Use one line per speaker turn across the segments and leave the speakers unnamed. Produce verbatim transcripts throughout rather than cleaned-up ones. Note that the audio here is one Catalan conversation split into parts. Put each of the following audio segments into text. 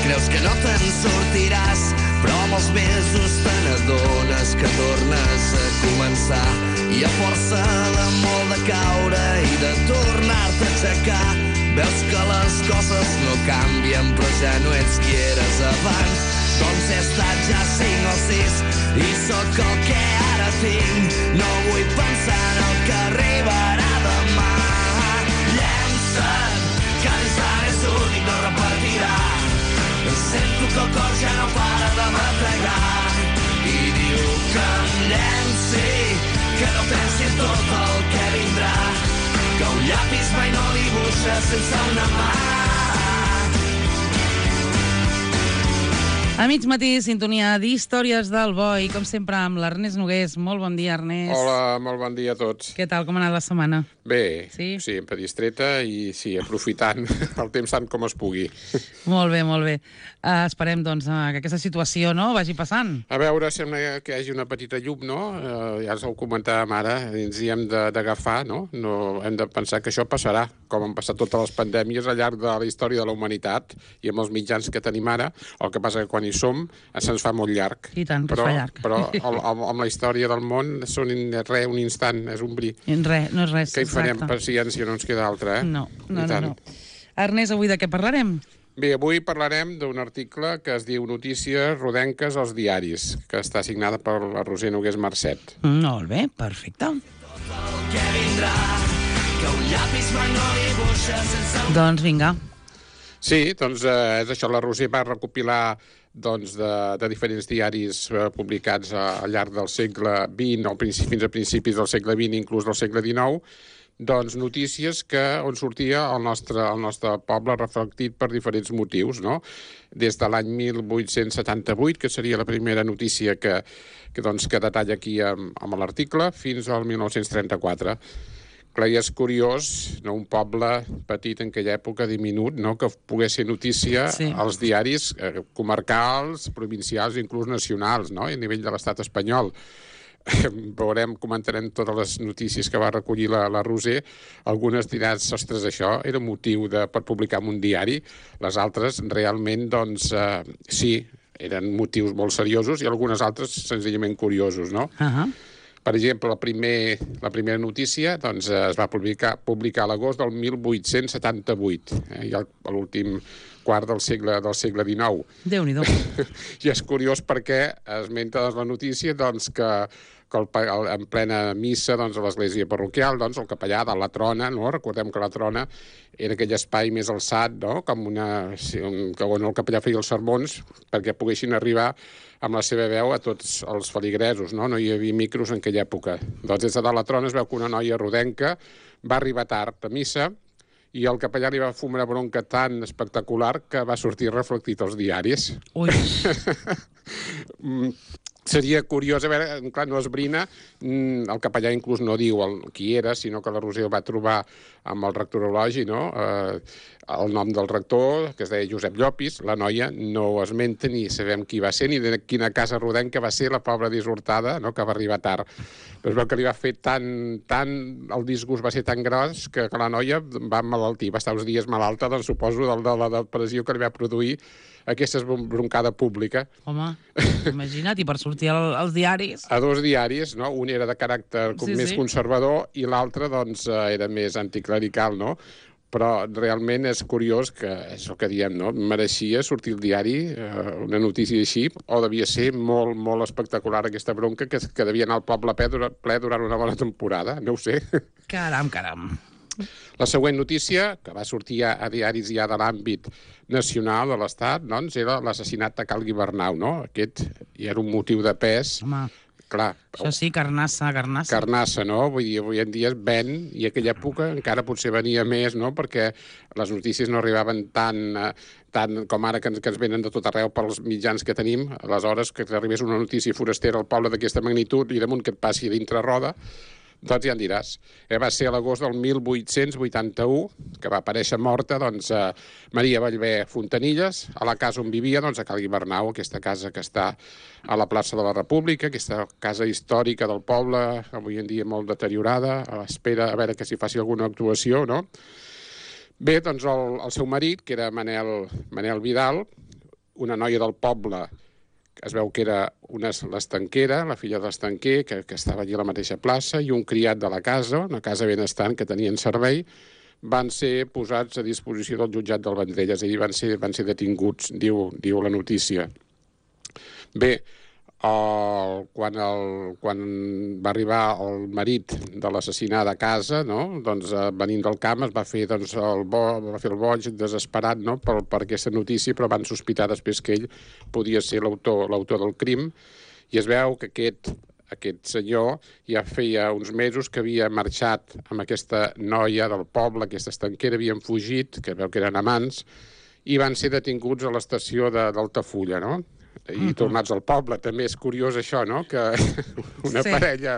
Creus que no te'n sortiràs, però amb els mesos te n'adones que tornes a començar. I a força de molt de caure i de tornar-te a aixecar, veus que les coses no canvien, però ja no ets qui eres abans. Doncs he estat ja cinc o sis i sóc el que ara tinc. No vull pensar en el que arribarà demà. Llença't, que l'instant és únic, no repetirà. Sento que el cor ja no para de batallar i diu que em llenci, que no pensi en tot el que vindrà, que un llapis mai no dibuixa sense una mà.
A mig matí, sintonia d'Històries del Boi, com sempre amb l'Ernest Nogués. Molt bon dia, Ernest.
Hola, molt bon dia a tots.
Què tal, com ha anat la setmana?
Bé,
sí,
sí sempre distreta i sí, aprofitant el temps tant com es pugui.
Molt bé, molt bé. Uh, esperem, doncs, uh, que aquesta situació no vagi passant.
A veure, sembla que hi hagi una petita llum, no? Uh, ja us ho comentàvem ara, ens hi hem d'agafar, no? no? Hem de pensar que això passarà, com han passat totes les pandèmies al llarg de la història de la humanitat i amb els mitjans que tenim ara. El que passa que quan hi som se'ns fa molt llarg.
I tant,
però,
es fa llarg.
Però el, el, amb la història del món són res, un instant, és un bri.
Res, no és res.
Que hi farem paciència, no ens queda altra, eh?
No, no, no, no. Ernest, avui de què parlarem?
Bé, avui parlarem d'un article que es diu Notícies rodenques als diaris, que està signada per la Roser Nogués Marcet.
Molt bé, perfecte. Doncs vinga.
Sí, doncs eh, és això, la Roser va recopilar doncs, de, de diferents diaris eh, publicats a, al llarg del segle vint, o principi, fins a principis del segle vint, inclús del segle dinou, doncs notícies que, on sortia el nostre, el nostre poble reflectit per diferents motius, no? Des de l'any mil vuit-cents setanta-vuit, que seria la primera notícia que, que, doncs, que detalla aquí amb, amb l'article, fins al mil nou-cents trenta-quatre. Clar, i és curiós, no? Un poble petit en aquella època, diminut, no? Que pogués ser notícia sí. als diaris eh, comarcals, provincials i inclús nacionals, no? A nivell de l'estat espanyol. Veurem, comentarem totes les notícies que va recollir la, la Roser. Algunes diran, ostres, això era motiu de, per publicar en un diari. Les altres, realment, doncs, eh, sí, eren motius molt seriosos i algunes altres senzillament curiosos, no?
Uh-huh.
Per exemple, la, primer, la primera notícia doncs, es va publicar, publicar a l'agost del mil vuit-cents setanta-vuit, eh, i a l'últim quart del segle, del segle dinou.
Déu-n'hi-do.
I és curiós perquè esmenta doncs, la notícia doncs, que, que el, el, en plena missa doncs, a l'església parroquial, doncs, el capellà de la trona, no? Recordem que la trona era aquell espai més alçat, no? Com una, un, on el capellà feia els sermons perquè poguessin arribar amb la seva veu a tots els feligresos, no? No hi havia micros en aquella època. Doncs des de dalt la trona es veu que una noia rodenca va arribar tard a missa i el capellà li va fumar una bronca tan espectacular que va sortir reflectit als diaris.
Ui!
Seria curiós, a veure, clar, no esbrina, el capellà inclús no diu el, qui era, sinó que la Roser el va trobar amb el rectorologi, no? Eh, el nom del rector, que es deia Josep Llopis, la noia no ho esmenta ni sabem qui va ser, ni de quina casa rodenca va ser la pobra dissortada, no?, que va arribar tard. Però es veu que li va fer tan, tan... el disgust va ser tan gros que, que la noia va emmalaltir, va estar uns dies malalta, doncs suposo, de, de la depressió que li va produir aquesta broncada pública.
Home, imagina't, i per sortir al, als diaris...
A dos diaris, no? Un era de caràcter
sí,
més
sí.
conservador i l'altre, doncs, era més anticlerical, no? Però realment és curiós que, és el que diem, no? Mereixia sortir al diari eh, una notícia així, o devia ser molt, molt espectacular aquesta bronca que, que devia anar al poble ple durant, ple durant una bona temporada, no ho sé.
Caram, caram.
La següent notícia, que va sortir a, a diaris ja de l'àmbit nacional de l'Estat, doncs, era l'assassinat de Cal Guibernau, no? Aquest ja era un motiu de pes.
Home,
clar,
això sí, carnassa, carnassa.
Carnassa, no? Vull dir, avui en dia es ven, i en aquella època encara potser venia més, no? Perquè les notícies no arribaven tan, eh, tant com ara que ens, que ens venen de tot arreu pels mitjans que tenim. Aleshores, que t'arribés una notícia forastera al poble d'aquesta magnitud i damunt que et passi dintre roda, doncs ja en diràs. Eh, va ser a l'agost del mil vuit-cents vuitanta-u que va aparèixer morta, doncs, eh, Maria Ballbé Fontanilles, a la casa on vivia, doncs, a Cal Guibernau, aquesta casa que està a la plaça de la República, aquesta casa històrica del poble, avui en dia molt deteriorada, a l'espera a veure que s'hi faci alguna actuació, no? Bé, doncs el, el seu marit, que era Manel, Manel Vidal, una noia del poble, que es veu que era una, l'estanquera, la filla de l'estanquer, que, que estava allí a la mateixa plaça, i un criat de la casa, una casa benestant que tenien servei, van ser posats a disposició del jutjat del Vendrell, és a dir, van ser, van ser detinguts, diu, diu la notícia. Bé, el, quan, el, quan va arribar el marit de l'assassinat a casa, no? Doncs, eh, venint del camp, es va fer, doncs, el, bo, va fer el boig desesperat, no? per, per aquesta notícia, però van sospitar després que ell podia ser l'autor l'autor del crim, i es veu que aquest, aquest senyor ja feia uns mesos que havia marxat amb aquesta noia del poble, aquesta estanquera, havien fugit, que veu que eren amants, i van ser detinguts a l'estació d'Altafulla, no? I uh-huh. tornats al poble. També és curiós això, no?, que una sí. parella,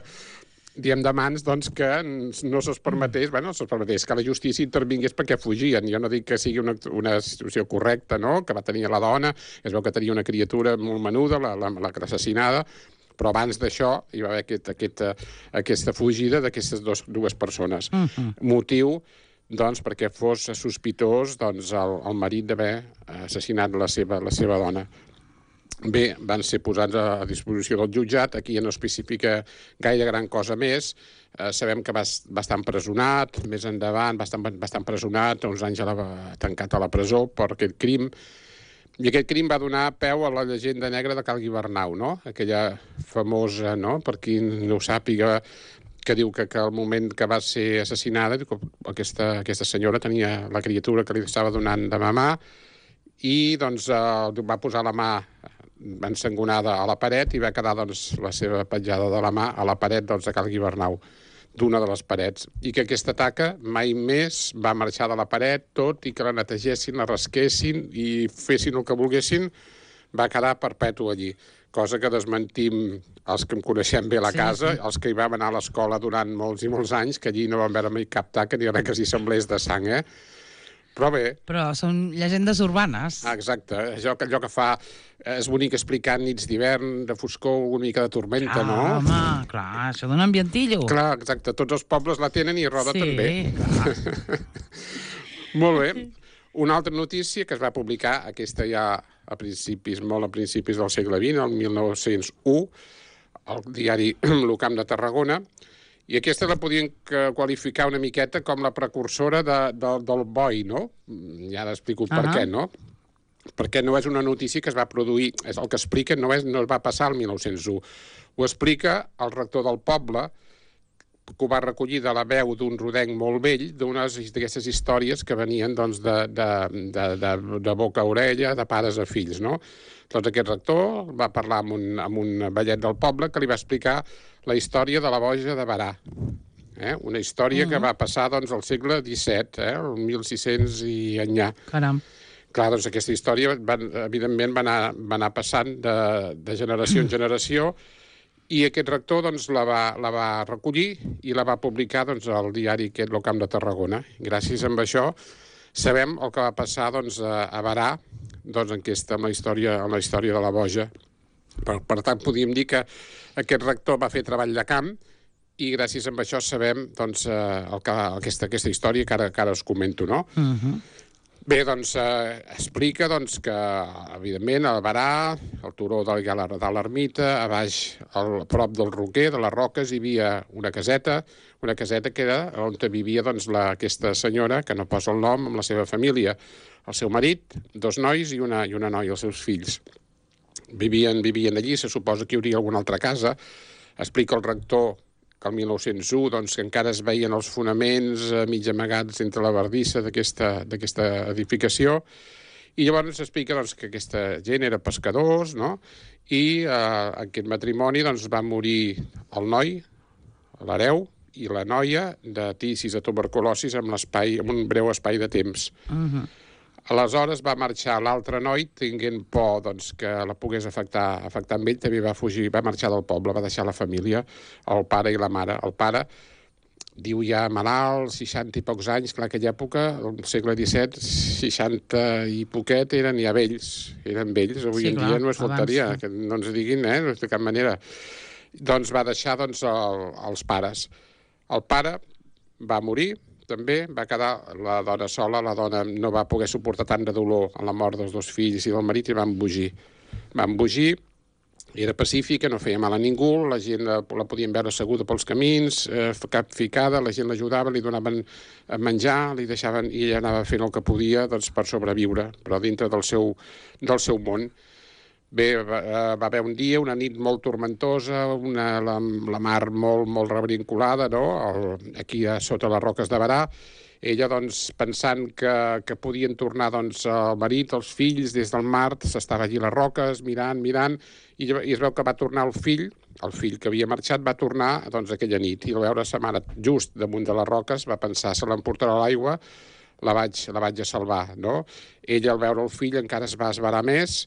diem, d'amants, doncs, que no se'ls permetés, bueno, no se'ls permetés, que la justícia intervingués perquè fugien. Jo no dic que sigui una, una situació correcta, no?, que va tenir la dona, es veu que tenia una criatura molt menuda, la, la, la assassinada, però abans d'això hi va haver aquest, aquest, aquesta fugida d'aquestes dues persones. Uh-huh. Motiu, doncs, perquè fos sospitós, doncs, el, el marit d'haver assassinat la seva, la seva dona. Bé, van ser posats a disposició del jutjat. Aquí ja no especifica gaire gran cosa més. Eh, sabem que va, va estar empresonat, més endavant va estar, va estar empresonat, uns anys a la, tancat a la presó per aquest crim. I aquest crim va donar peu a la llegenda negra de Cal Guibernau, no? Aquella famosa, no?, per qui no ho sàpiga, que diu que, que al moment que va ser assassinada, aquesta, aquesta senyora tenia la criatura que li estava donant de mamar i, doncs, eh, va posar la mà ensangonada a la paret i va quedar, doncs, la seva petjada de la mà a la paret, doncs, de Cal Guibernau, d'una de les parets, i que aquesta taca mai més va marxar de la paret, tot i que la netegessin, la rasquessin i fessin el que volguessin, va quedar perpètu allí, cosa que desmentim els que em coneixem bé a la sí, casa, sí. els que hi vam anar a l'escola durant molts i molts anys, que allí no vam veure mai cap taca ni res que s'hi semblés de sang, eh? Però bé...
Però són llegendes urbanes.
Ah, exacte. Allò, allò que fa... És bonic explicar nits d'hivern, de foscor, una mica de tormenta,
ah,
no?
Home, clar, això dona ambientillo.
Clar, exacte. Tots els pobles la tenen i Roda
sí,
també.
Clar.
Molt bé. Una altra notícia que es va publicar, aquesta ja a principis, molt a principis del segle vint, el mil nou-cents u, al diari L'Ocamp de Tarragona, i aquesta la podien qualificar una miqueta com la precursora de, de, del boi, no? I ara explico per uh-huh. què, no? Perquè no és una notícia que es va produir, és el que explica, no, és, no es va passar el mil nou-cents u. Ho explica el rector del poble, que ho va recollir de la veu d'un rodenc molt vell, d'unes d'aquestes històries que venien, doncs, de, de, de, de, de boca a orella, de pares a fills, no? Doncs aquest rector va parlar amb un, amb un vellet del poble que li va explicar la història de la boja de Berà. Eh? Una història uh-huh. que va passar, doncs, al segle disset, eh? el mil sis-cents i enllà.
Caram.
Clar, doncs aquesta història, van, evidentment, va anar, va anar passant de, de generació en generació, i aquest rector, doncs, la va, la va recollir i la va publicar, doncs, al diari aquest, L'Ocamp de Tarragona. Gràcies a això sabem el que va passar, doncs, a, a Berà, doncs, en, aquesta, en, la història, en la història de la boja. Per, per tant, podríem dir que aquest rector va fer treball de camp i gràcies a això sabem, doncs, el que, aquesta, aquesta història que ara, que ara us comento, no? Uh-huh. Bé, doncs, eh, explica, doncs, que, evidentment, al Berà, al turó de l'Ermita, a baix, al prop del Roquer, de les Roques, hi havia una caseta, una caseta que era on vivia, doncs, la, aquesta senyora, que no posa el nom, amb la seva família, el seu marit, dos nois i una, i una noia, els seus fills. Vivien, vivien allí, se suposa que hi hauria alguna altra casa. Explica el rector que el mil nou-cents u, doncs, que encara es veien els fonaments eh, mig amagats entre la bardissa d'aquesta edificació, i llavors s'explica, doncs, que aquesta gent era pescadors, no?, i eh, aquest matrimoni, doncs, va morir el noi, l'hereu, i la noia de tisis, de tuberculosis, amb, amb un breu espai de temps. Uh-huh. Aleshores va marxar l'altre noi, tinguent por, doncs, que la pogués afectar, afectar amb ell, també va fugir, va marxar del poble, va deixar la família, el pare i la mare. El pare, diu ja malalt, seixanta i pocs anys, clar, aquella època, al segle disset, seixanta i poquet eren ja vells, eren vells, avui sí, en clar, dia no es faltaria, abans, sí. que no ens diguin, eh, de cap manera. Doncs va deixar, doncs, el, els pares. El pare va morir, també, va quedar la dona sola, la dona no va poder suportar tant de dolor en la mort dels dos fills i del marit i va embogir. Va embogir, era pacífica, no feia mal a ningú, la gent la, la podien veure asseguda pels camins, eh, cap ficada, la gent l'ajudava, li donaven a menjar, li deixaven, i ella anava fent el que podia doncs, per sobreviure, però dintre del seu, del seu món. Bé, va, va haver un dia, una nit molt tormentosa, una, la, la mar molt, molt rebrincolada, no? El, aquí a sota les roques de Berà. Ella, doncs, pensant que, que podien tornar doncs, el marit, els fills, des del mar, s'estava allí a les roques, mirant, mirant, i, i es veu que va tornar el fill, el fill que havia marxat, va tornar doncs, aquella nit, i al veure sa mare just damunt de les roques, va pensar, se l'emportarà a l'aigua, la vaig, la vaig a salvar, no? Ella, al veure el fill, encara es va esverar més,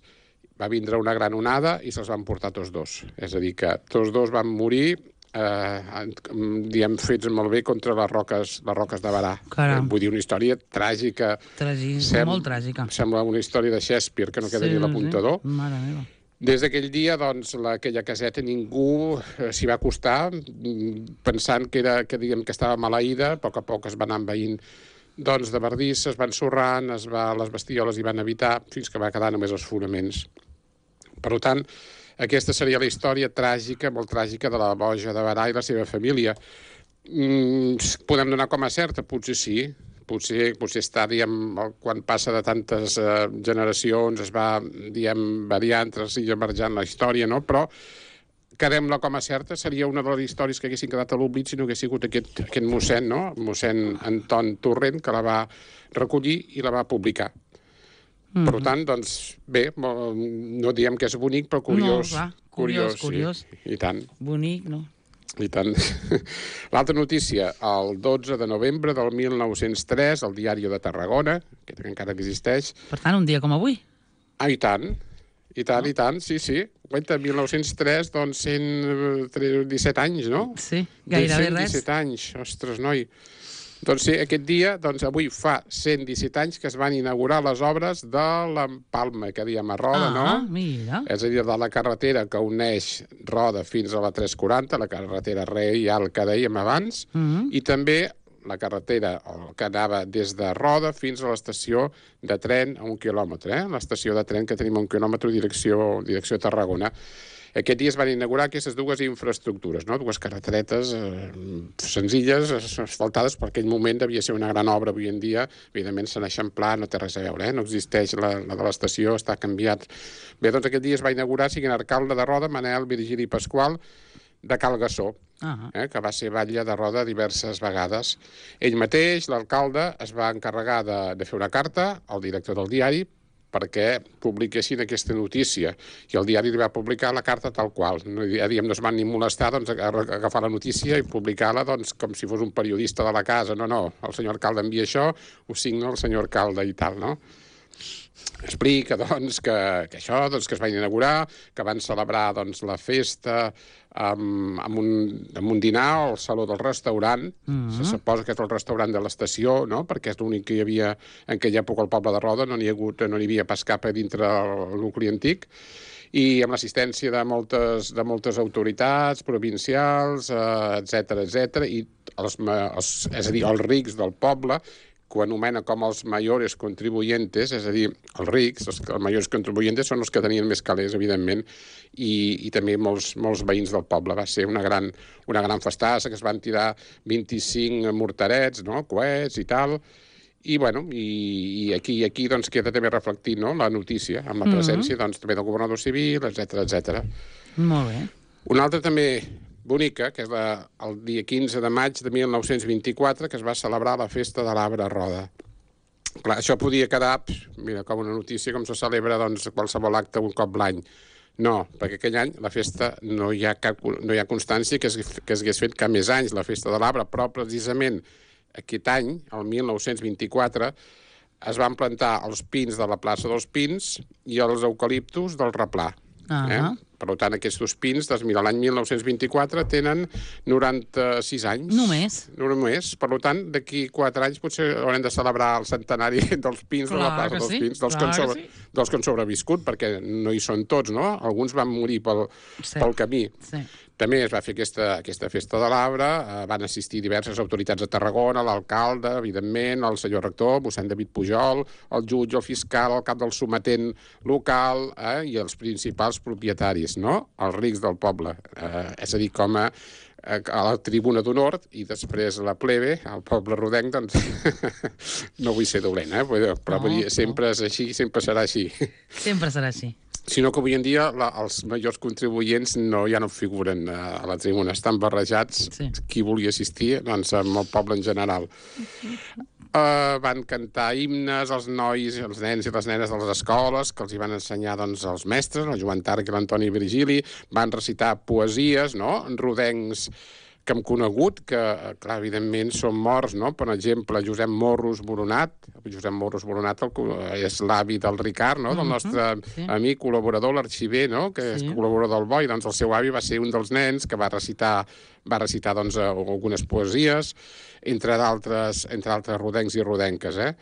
va vindre una gran onada i se'ls van portar tots dos. És a dir, que tots dos van morir eh, diem, fets molt bé contra les roques, les roques de Berà. Eh, vull dir, una història tràgica.
Tràgica, Sem molt tràgica.
Sembla una història de Shakespeare, que no queda sí, ni l'apuntador.
Sí. Mare meva.
Des d'aquell dia, doncs, la, aquella caseta ningú s'hi va acostar, pensant que, era, que, diguem, que estava maleïda, a poc a poc es va anar envaint doncs, de bardís, es van sorrant, es va, les bestioles hi van evitar, fins que va quedar només els fonaments. Per tant, aquesta seria la història tràgica, molt tràgica, de la boja de Berà i la seva família. Mm, podem donar com a certa? Potser sí. Potser, potser està, diguem, quan passa de tantes eh, generacions, es va, diguem, variant, transformant la història, no? Però quedem-la com a certa, seria una de les històries que haguessin quedat a l'oblit si no hagués sigut aquest, aquest mossèn, no? Mossèn Anton Torrent, que la va recollir i la va publicar. Mm-hmm. Per tant, doncs, bé, no diem que és bonic, però curiós.
No, va, curiós, curiós.
Sí, i tant.
Bonic, no?
I tant. L'altra notícia, el dotze de novembre del mil nou-cents tres, el Diari de Tarragona, que encara existeix.
Per tant, un dia com avui.
Ah, i tant. I tant, no? I tant, sí, sí. Guaita, mil nou-cents tres, doncs cent disset anys, no?
Sí, gairebé res.
cent disset anys, ostres, noi. Doncs sí, aquest dia, doncs avui fa cent disset anys que es van inaugurar les obres de l'Empalme, que diem a Roda,
ah,
no?
Ah, mira.
És a dir, de la carretera que uneix Roda fins a la tres quaranta, la carretera reial que dèiem abans,
Mm-hmm.
i també la carretera que anava des de Roda fins a l'estació de tren a un quilòmetre, eh? L'estació de tren que tenim a un quilòmetre direcció, direcció Tarragona. Aquest dia es van inaugurar aquestes dues infraestructures, no? Dues carreteretes eh, senzilles, asfaltades, per aquell moment devia ser una gran obra. Avui en dia, evidentment, s'han eixamplat, no té res a veure, eh? No existeix la, la de l'estació, està canviat. Bé, doncs aquest dia es va inaugurar, siguin alcalde de Roda, Manel Virgili Pasqual, de Cal Gassó,
uh-huh.
eh, que va ser batlle de Roda diverses vegades. Ell mateix, l'alcalde, es va encarregar de, de fer una carta al director del diari perquè publiquessin aquesta notícia. I el diari li va publicar la carta tal qual. No, ja diem, no es van ni molestar doncs, a agafar la notícia i publicar-la doncs, com si fos un periodista de la casa. No, no, el senyor alcalde envia això, ho signa el senyor alcalde i tal, no? Explica, doncs, que, que això, doncs, que es va inaugurar, que van celebrar, doncs, la festa amb, amb, un, amb un dinar al saló del restaurant. Mm-hmm. Se suposa que és el restaurant de l'estació, no?, perquè és l'únic que hi havia en aquella època al poble de Roda, no n'hi ha hagut, no n'hi havia pas cap a dintre el nucli antic, i amb l'assistència de moltes, de moltes autoritats provincials, eh, etcètera, etcètera, i els, els, és a dir, els rics del poble, que ho anomena com els mayores contribuyentes, és a dir, els rics, els, els mayors contribuyentes són els que tenien més calés, evidentment, i, i també molts, molts veïns del poble. Va ser una gran, una gran festassa, que es van tirar vint-i-cinc morterets, no?, coets i tal, i, bueno, i, i aquí, aquí doncs, queda també reflectit, no?, la notícia, amb la presència, mm-hmm. doncs, també del governador civil, etcètera, etcètera.
Molt bé.
Una altra també bonica, que és la, el dia quinze de maig de mil nou-cents vint-i-quatre, que es va celebrar la festa de l'arbre Roda. Clar, això podia quedar, mira, com una notícia, com se celebra doncs, qualsevol acte un cop l'any. No, perquè aquell any la festa no hi ha, cap, no hi ha constància que es, que es hagués fet cap més anys, la festa de l'arbre, però precisament aquest any, el mil nou-cents vint-i-quatre, es van plantar els pins de la plaça dels Pins i els eucaliptus del Replà. Uh-huh. eh? Per tant, aquests pins, des de l'any mil nou-cents vint-i-quatre, tenen noranta-sis anys.
Només?
Només. Per tant, d'aquí quatre anys potser haurem de celebrar el centenari dels pins,
clar
de la plaça dels
sí,
pins, dels que, han sobre, sí. dels que han sobreviscut, perquè no hi són tots, no? Alguns van morir pel,
sí.
pel camí.
Sí.
També es va fer aquesta, aquesta festa de l'arbre, eh, van assistir diverses autoritats de Tarragona, l'alcalde, evidentment, el senyor rector, mossèn David Pujol, el jutge, el fiscal, el cap del sometent local eh, i els principals propietaris, no? Els rics del poble. Eh, és a dir, com a, a la tribuna d'honor i després la plebe, el poble rodenc, doncs no vull ser dolent, eh? però no, dir, sempre no. és així, sempre serà així.
Sempre serà així.
Sinó que avui en dia la, els majors contribuents no, ja no figuren a, a la tribuna, estan barrejats, sí. Qui vulgui assistir, doncs amb el poble en general. Uh, van cantar himnes els nois, els nens i les nenes de les escoles, que els hi van ensenyar doncs, els mestres, el Joan Tarc i l'Antoni Virgili, van recitar poesies, no?, rodencs que hem conegut, que, clar, evidentment són morts, no? Per exemple, Josep Morros Boronat, Josep Morros Boronat el, és l'avi del Ricard, no?, del nostre uh-huh, sí. amic, col·laborador, l'arxiver, no?, que sí. és col·laborador del Boi, doncs el seu avi va ser un dels nens que va recitar, va recitar doncs, algunes poesies, entre d'altres entre altres rodencs i rodenques, eh?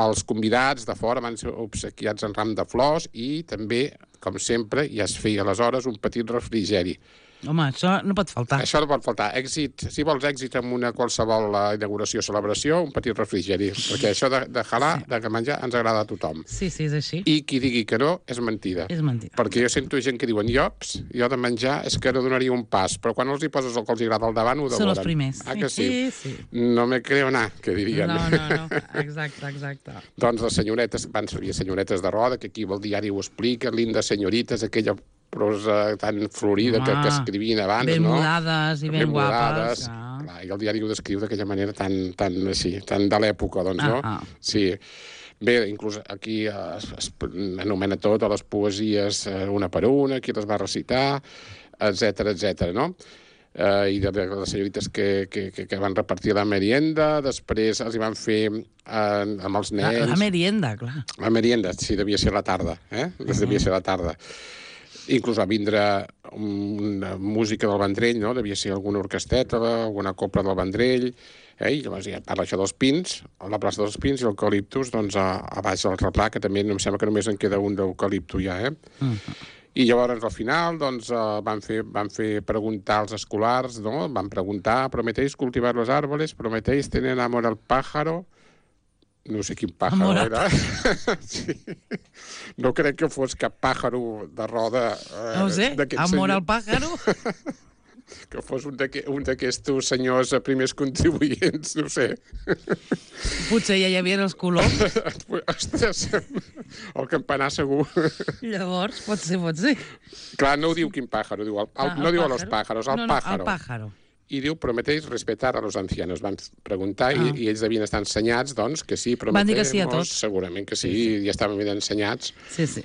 Els convidats de fora van ser obsequiats en ram de flors i també, com sempre, ja es feia aleshores un petit refrigeri.
Home, això no pot faltar.
Això no pot faltar. Èxit, si vols èxit en una qualsevol inauguració o celebració, un petit refrigeri, perquè això de, de jalar, sí. de menjar, ens agrada a tothom.
Sí, sí, és així.
I qui digui que no, és mentida.
És mentida.
Perquè jo sento gent que diuen, jops, jo de menjar és que no donaria un pas, però quan els hi poses el que els agrada al davant, ho devoren.
Són els primers.
Ah, que sí?
Sí, sí.
No me creo nada, que dirien.
No, no, no. Exacte, exacte.
Doncs les senyoretes, van servir senyoretes de roda, que aquí el diari ho explica, linda senyorites, aquella prosa tan florida ah, que, que escrivien abans,
ben
no?
Ben mudades i ben, ben guapes.
Ah. Clar, i el diari ho descriu d'aquella manera tan, tan, així, tan de l'època, doncs,
ah,
no?
Ah.
Sí. Bé, inclús aquí es, es anomena tot a les poesies una per una, qui les va recitar, etcètera, etcètera, no? Uh, i de, de les senyorites que, que, que, que van repartir la merienda, després els hi van fer uh, amb els nens...
La, la merienda, clar.
La merienda, sí, devia ser la tarda, eh? Uh-huh. Devia ser la tarda. Inclús va vindre una música del Vendrell, no? Devia ser alguna orquesteta, alguna copla del Vendrell, eh? I llavors ja parla això dels pins, a la plaça dels pins i l'eucaliptus, doncs a, a baix del replà, que també em sembla que només en queda un d'eucaliptu ja, eh? Uh-huh. I llavors, al final, doncs, uh, van, fer, van fer preguntar als escolars, no? Van preguntar, ¿prometéis cultivar los árboles? ¿Prometéis tener amor al pájaro? No sé quin pàjaro amor era. Sí. No crec que fos cap pàjaro de roda. Eh,
no ho sé, amor senyor. Al pàjaro?
Que fos un d'aquests senyors primers contribuents, no sé.
Potser ja hi havia els coloms.
Ostres, el campanar segur.
Llavors, pot ser, pot ser.
Clar, no ho diu quin pàjaro, diu el, el, ah, no diu a los pájaros, al
no, no,
pàjaro.
Al pàjaro.
I diu, prometéis respetar a los ancianos. Van preguntar ah. i, i ells devien estar ensenyats, doncs, que sí, prometemos.
Van dir que sí a tots.
Segurament que sí,
sí, sí.
ja estaven ben ensenyats.
Sí, sí.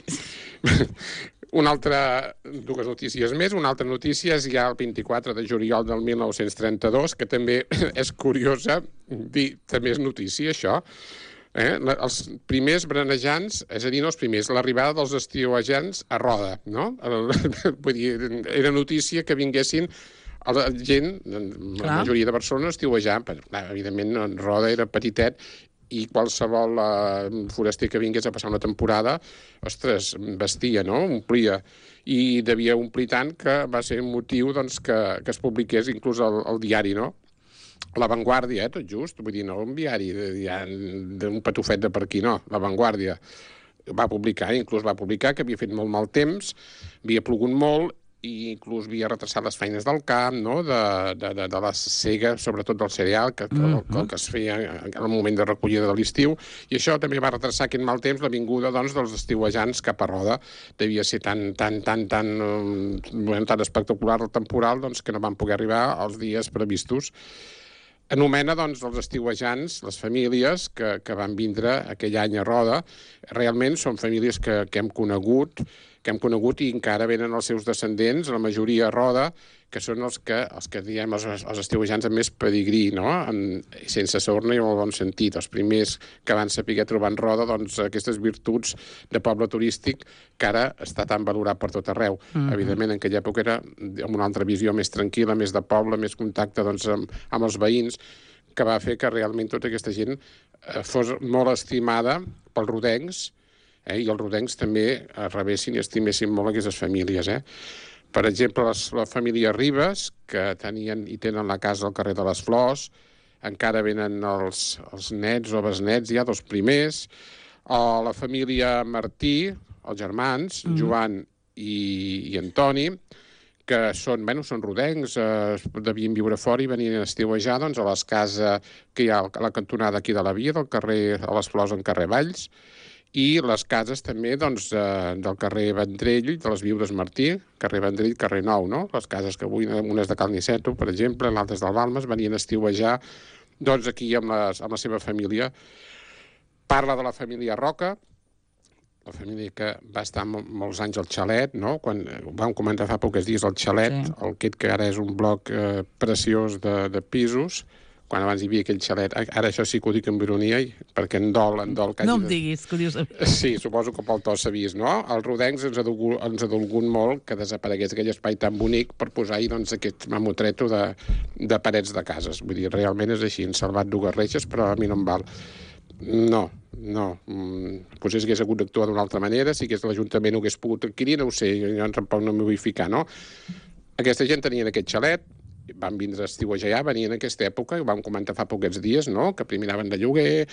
Una altra, dues notícies més. Una altra notícia és ja el vint-i-quatre de juliol del mil nou-cents trenta-dos, que també és curiosa dir, també és notícia, això. Eh? Els primers brenejants, és a dir, no els primers, l'arribada dels estiuejants a Roda, no? Vull dir, era notícia que vinguessin la gent, la majoria de Barcelona, estiuejant. Evidentment, Roda era petitet i qualsevol uh, foraster que vingués a passar una temporada, ostres, vestia, no? Omplia. I devia omplir tant que va ser un motiu doncs, que, que es publiqués inclús al, al diari, no? La Vanguardia, eh, tot just, vull dir, no un diari d'un patufet de per aquí, no, La Vanguardia va publicar, inclús va publicar que havia fet molt mal temps, havia plogut molt, i inclús havia retrasat les feines del camp, no? de, de, de, de la sega, sobretot del cereal, que, que, mm-hmm. que, que es feia en el moment de recollida de l'estiu, i això també va retrasar aquest mal temps la vinguda doncs, dels estiuejants cap a Roda. Devia ser tan, tan, tan, tan, um, tan espectacular el temporal doncs, que no van poder arribar als dies previstos. Anomena, doncs, els estiuejants, les famílies que, que van vindre aquell any a Roda. Realment són famílies que, que hem conegut, que hem conegut i encara venen els seus descendents, la majoria a Roda, que són els que, els que diem, els, els estiuejants amb més pedigrí, no? En, sense sorna i en el bon sentit. Els primers que van saber trobar en Roda doncs, aquestes virtuts de poble turístic que ara està tan valorat per tot arreu. Mm-hmm. Evidentment, en aquella època era amb una altra visió més tranquil·la, més de poble, més contacte doncs, amb, amb els veïns, que va fer que realment tota aquesta gent eh, fos molt estimada pels rodencs, eh, i els rodencs també rebessin i estimessin molt aquestes famílies, eh? Per exemple, les, la família Ribes, que tenien i tenen la casa al carrer de les Flors, encara venen els, els nets o besnets, ja dels primers, o la família Martí, els germans, mm. Joan i, i Antoni, que són, bueno, són rodencs, eh, devien viure fora i venien a estiuejar doncs, a les cases que hi ha a la cantonada aquí de la Via, del carrer a les Flors en carrer Valls, i les cases també doncs, eh, del carrer Vendrell, de les Viudes Martí, carrer Vendrell, carrer Nou, no? Les cases que avui, unes de Cal Niceto, per exemple, l'altres del Balmes, venien a estiuejar doncs, aquí amb, les, amb la seva família. Parla de la família Roca, la família que va estar mol, molts anys al xalet, no? Quan vam comentar fa pocs dies el xalet, sí. El aquest que ara és un bloc eh, preciós de, de pisos, quan abans hi havia aquell xalet. Ara això sí que ho dic amb ironia, perquè en dol, en dol...
No em diguis, que ho dius...
Sí, suposo que pel to s'ha vist, no? Els rodencs ens ha dolgut, ens ha dolgut molt que desaparegués aquell espai tan bonic per posar-hi doncs, aquest mamotreto de, de parets de cases. Vull dir, realment és així, han salvat dues reixes, però a mi no em val. No, no. Potser s'hagués hagut d'actuar d'una altra manera, si que l'Ajuntament ho hagués pogut adquirir, no ho sé, jo tampoc no m'hi vull ficar, no? Aquesta gent tenien aquest xalet, van vindre a estiuejar, venien en aquesta època, ho vam comentar fa poquets dies, no? Que primer anaven de lloguer,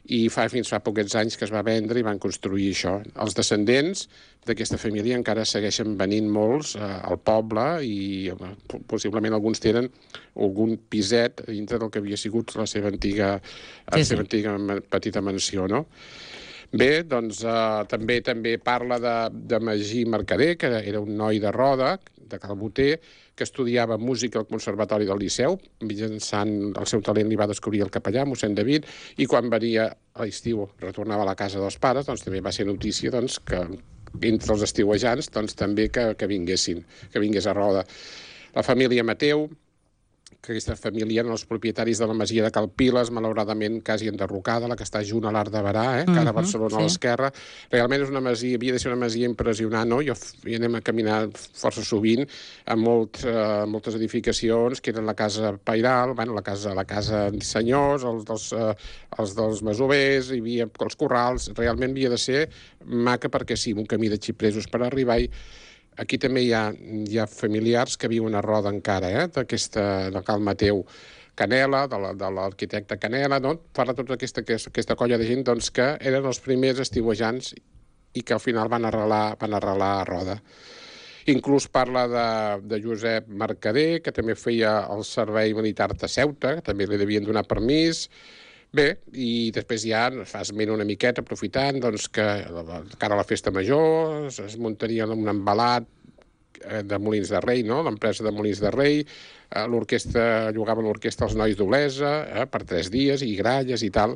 i fa fins fa poquets anys que es va vendre i van construir això. Els descendents d'aquesta família encara segueixen venint molts eh, al poble i eh, possiblement alguns tenen algun piset dintre del que havia sigut la seva antiga, sí, la seva sí. antiga petita mansió, no? Bé, doncs eh, també també parla de, de Magí Mercader, que era un noi de Roda, de Calboter, que estudiava música al Conservatori del Liceu, mitjançant el seu talent li va descobrir el capellà, mossèn David, i quan venia a l'estiu, retornava a la casa dels pares, doncs també va ser notícia doncs, que entre els estiuejants doncs, també que, que vinguessin, que vingués a Roda. La família Mateu, que aquesta família eren els propietaris de la masia de Calpiles, malauradament quasi enderrocada, la que està junt a l'Arc de Berà, eh? Cara a Barcelona, uh-huh, sí. A l'esquerra. Realment és una masia, havia de ser una masia impressionant, no? Jo hi anem a caminar força sovint a molt, uh, moltes edificacions, que eren la casa Pairal, bueno, la casa, la casa senyors, els dels, uh, els dels masovers, hi havia els corrals, realment havia de ser maca perquè sí, un camí de xipresos per arribar-hi. Aquí també hi ha, hi ha familiars que viuen a Roda encara, eh? D'aquesta, de Cal Mateu Canela, de l'arquitecte Canela, no? Parla tota aquesta, aquesta colla de gent doncs, que eren els primers estiuejants i que al final van arrelar, van arrelar a Roda. Inclús parla de, de Josep Mercader, que també feia el servei militar de Ceuta, que també li devien donar permís. Bé, i després ja fa esment una miqueta, aprofitant doncs, que cara a la festa major es, es muntaria un embalat de Molins de Rei, no? L'empresa de Molins de Rei, l'orquestra, llogaven l'orquestra als Nois d'Olesa eh, per tres dies, i gralles i tal.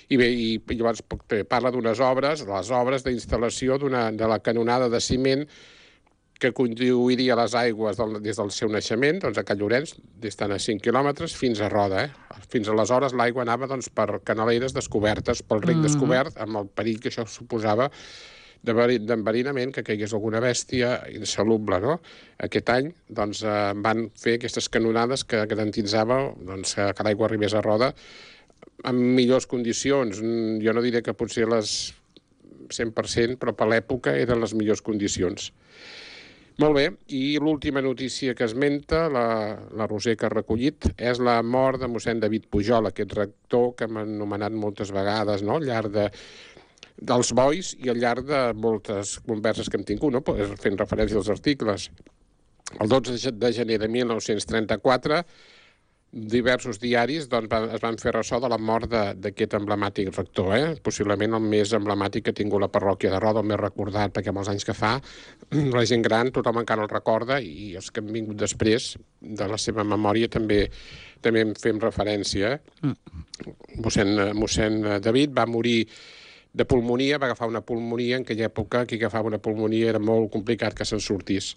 I bé, i, i llavors parla d'unes obres, les obres d'instal·lació de la canonada de ciment que conduiria les aigües del, des del seu naixement, doncs a Can Llorenç, d'estant a cinc quilòmetres, fins a Roda. Eh? Fins aleshores l'aigua anava doncs, per canaleres descobertes, pel rec mm-hmm. descobert, amb el perill que això suposava d'enverinament, que caigués alguna bèstia insalubre, no? Aquest any doncs, eh, van fer aquestes canonades que garantitzava doncs, que l'aigua arribés a Roda en millors condicions. Jo no diré que potser les cent per cent, però per l'època eren les millors condicions. Molt bé, i l'última notícia que esmenta, la, la Roser que ha recollit, és la mort de mossèn David Pujol, aquest rector que hem anomenat moltes vegades, no?, al llarg de, dels bois i al llarg de moltes converses que hem tingut, no?, fent referència als articles. El dotze de gener de mil nou-cents trenta-quatre, diversos diaris doncs, van, es van fer ressò de la mort d'aquest emblemàtic rector, eh? Possiblement el més emblemàtic que ha tingut la parròquia de Roda, el més recordat, perquè amb els anys que fa, la gent gran, tothom encara el recorda, i els que han vingut després de la seva memòria també també en fem referència. Eh? Mossèn, mossèn David va morir de pulmonia, va agafar una pulmonia, en aquella època qui agafava una pulmonia era molt complicat que se'n sortís.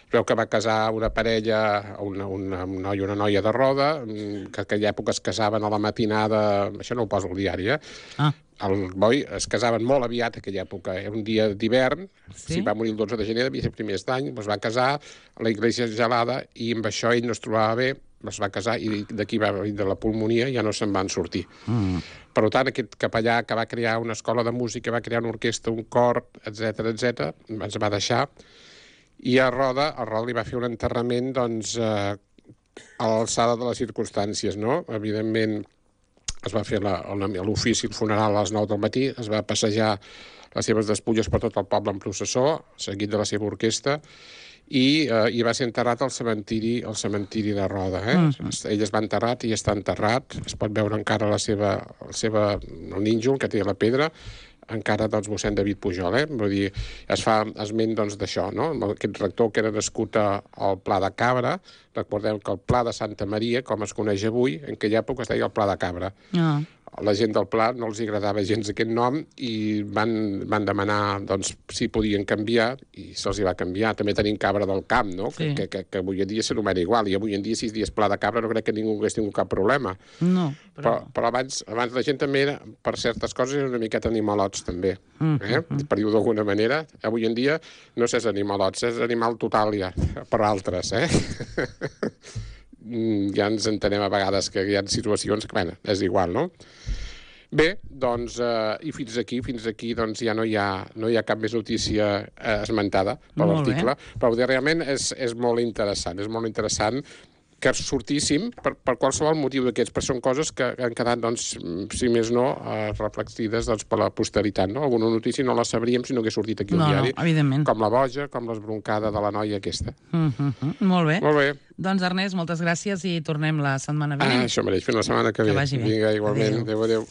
Es veu que va casar una parella, una, una, un noi i una noia de Roda, que en aquella època es casaven a la matinada, això no ho poso al diari, eh?
Ah.
El boi es casaven molt aviat en aquella època, era un dia d'hivern,
Sí?
si va morir el dotze de gener, devia ser primers d'any, es va casar a la iglesia gelada i amb això ell no es trobava bé, es va casar i d'aquí va venir de la pulmonia ja no se'n van sortir.
Mm.
Per tant, aquest capellà que va crear una escola de música, va crear una orquestra, un cor, etc etc, ens va deixar, i a Roda, a Roda li va fer un enterrament, doncs, eh, a l'alçada de les circumstàncies, no? Evidentment, es va fer l'ofici, el funeral a les nou del matí, es va passejar les seves despulles per tot el poble en processó, seguit de la seva orquestra, i, eh, i va ser enterrat al cementiri, al cementiri de Roda. Eh? Mm-hmm. Ell es va enterrat i està enterrat. Es pot veure encara la seva, la seva, el nínxol que té la pedra, encara doncs mossèn David Pujol, eh? Vull dir, es fa esment doncs d'això, no? Aquest rector que era nascut al Pla de Cabra, recordem que el Pla de Santa Maria, com es coneix avui, en aquella època es deia el Pla de Cabra.
Ah.
La gent del Pla no els agradava gens aquest nom i van, van demanar doncs, si podien canviar i se'ls hi va canviar. També tenim Cabra del Camp, no?
Sí.
Que, que, que avui en dia s'anomena igual, i avui en dia si es dies Pla de Cabra no crec que ningú hagués tingut cap problema.
No, però...
Però, però abans, abans la gent també era, per certes coses, era una miqueta animalots, també. Mm, eh? mm. Per dir-ho d'alguna manera. Avui en dia no s'és animalots, és animal total ja, per altres, eh? Ja ens entenem a vegades que hi ha situacions que, bueno, és igual, no? Bé, doncs, eh, i fins aquí, fins aquí, doncs ja no hi ha, no hi ha cap més notícia eh, esmentada per l'article, però realment és, és molt interessant, és molt interessant que sortíssim per, per qualsevol motiu d'aquests, però són coses que han quedat, doncs, si més no, eh, reflexides doncs, per la posteritat, no? Alguna notícia no la sabríem si no hagués sortit aquí al
no,
diari,
no, evidentment.
Com la boja, com l'esbroncada de la noia aquesta.
Mm -hmm. Molt bé.
Molt bé.
Doncs, Ernest, moltes gràcies i tornem la setmana vinent.
Ah, això mereix, fins la setmana que ve.
Que vagi bé.
Vinga, igualment. Adéu, adéu. adéu.